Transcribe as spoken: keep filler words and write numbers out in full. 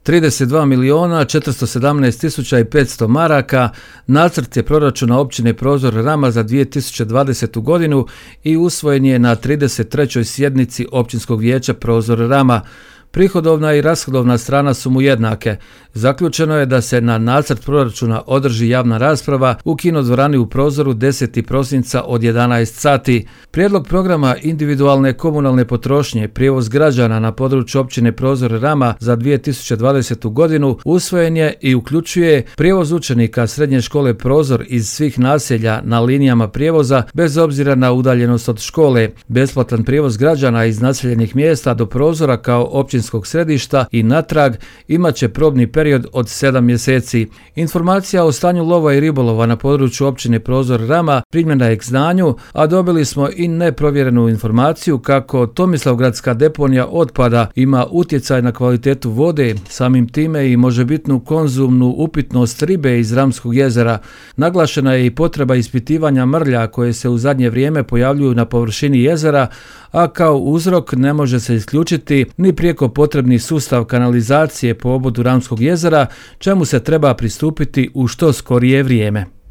trideset dva milijuna četiristo sedamnaest tisuća i petsto maraka, nacrt je proračuna općine Prozor Rama za dvije tisuće dvadesetu godinu i usvojen je na trideset trećoj sjednici Općinskog vijeća Prozor Rama. Prihodovna i rashodovna strana su mu jednake. Zaključeno je da se na nacrt proračuna održi javna rasprava u kinodvorani u Prozoru desetog prosinca od jedanaest sati. Prijedlog programa individualne komunalne potrošnje prijevoz građana na području općine Prozor Rama za dvije tisuće dvadesetu godinu usvojen je i uključuje prijevoz učenika srednje škole Prozor iz svih naselja na linijama prijevoza bez obzira na udaljenost od škole, besplatan prijevoz građana iz naseljenih mjesta do Prozora kao općinskog središta i natrag imat će probni period od sedam mjeseci. Informacija o stanju lova i ribolova na području općine Prozor Rama primljena je k znanju, a dobili smo i neprovjerenu informaciju kako Tomislavgradska deponija otpada ima utjecaj na kvalitetu vode, samim time i možebitnu konzumnu upitnost ribe iz Ramskog jezera. Naglašena je i potreba ispitivanja mrlja koje se u zadnje vrijeme pojavljuju na površini jezera, a kao uzrok ne može se isključiti ni prijeko potrebni sustav kanalizacije po obodu Ramskog jezera, čemu se treba pristupiti u što skorije vrijeme.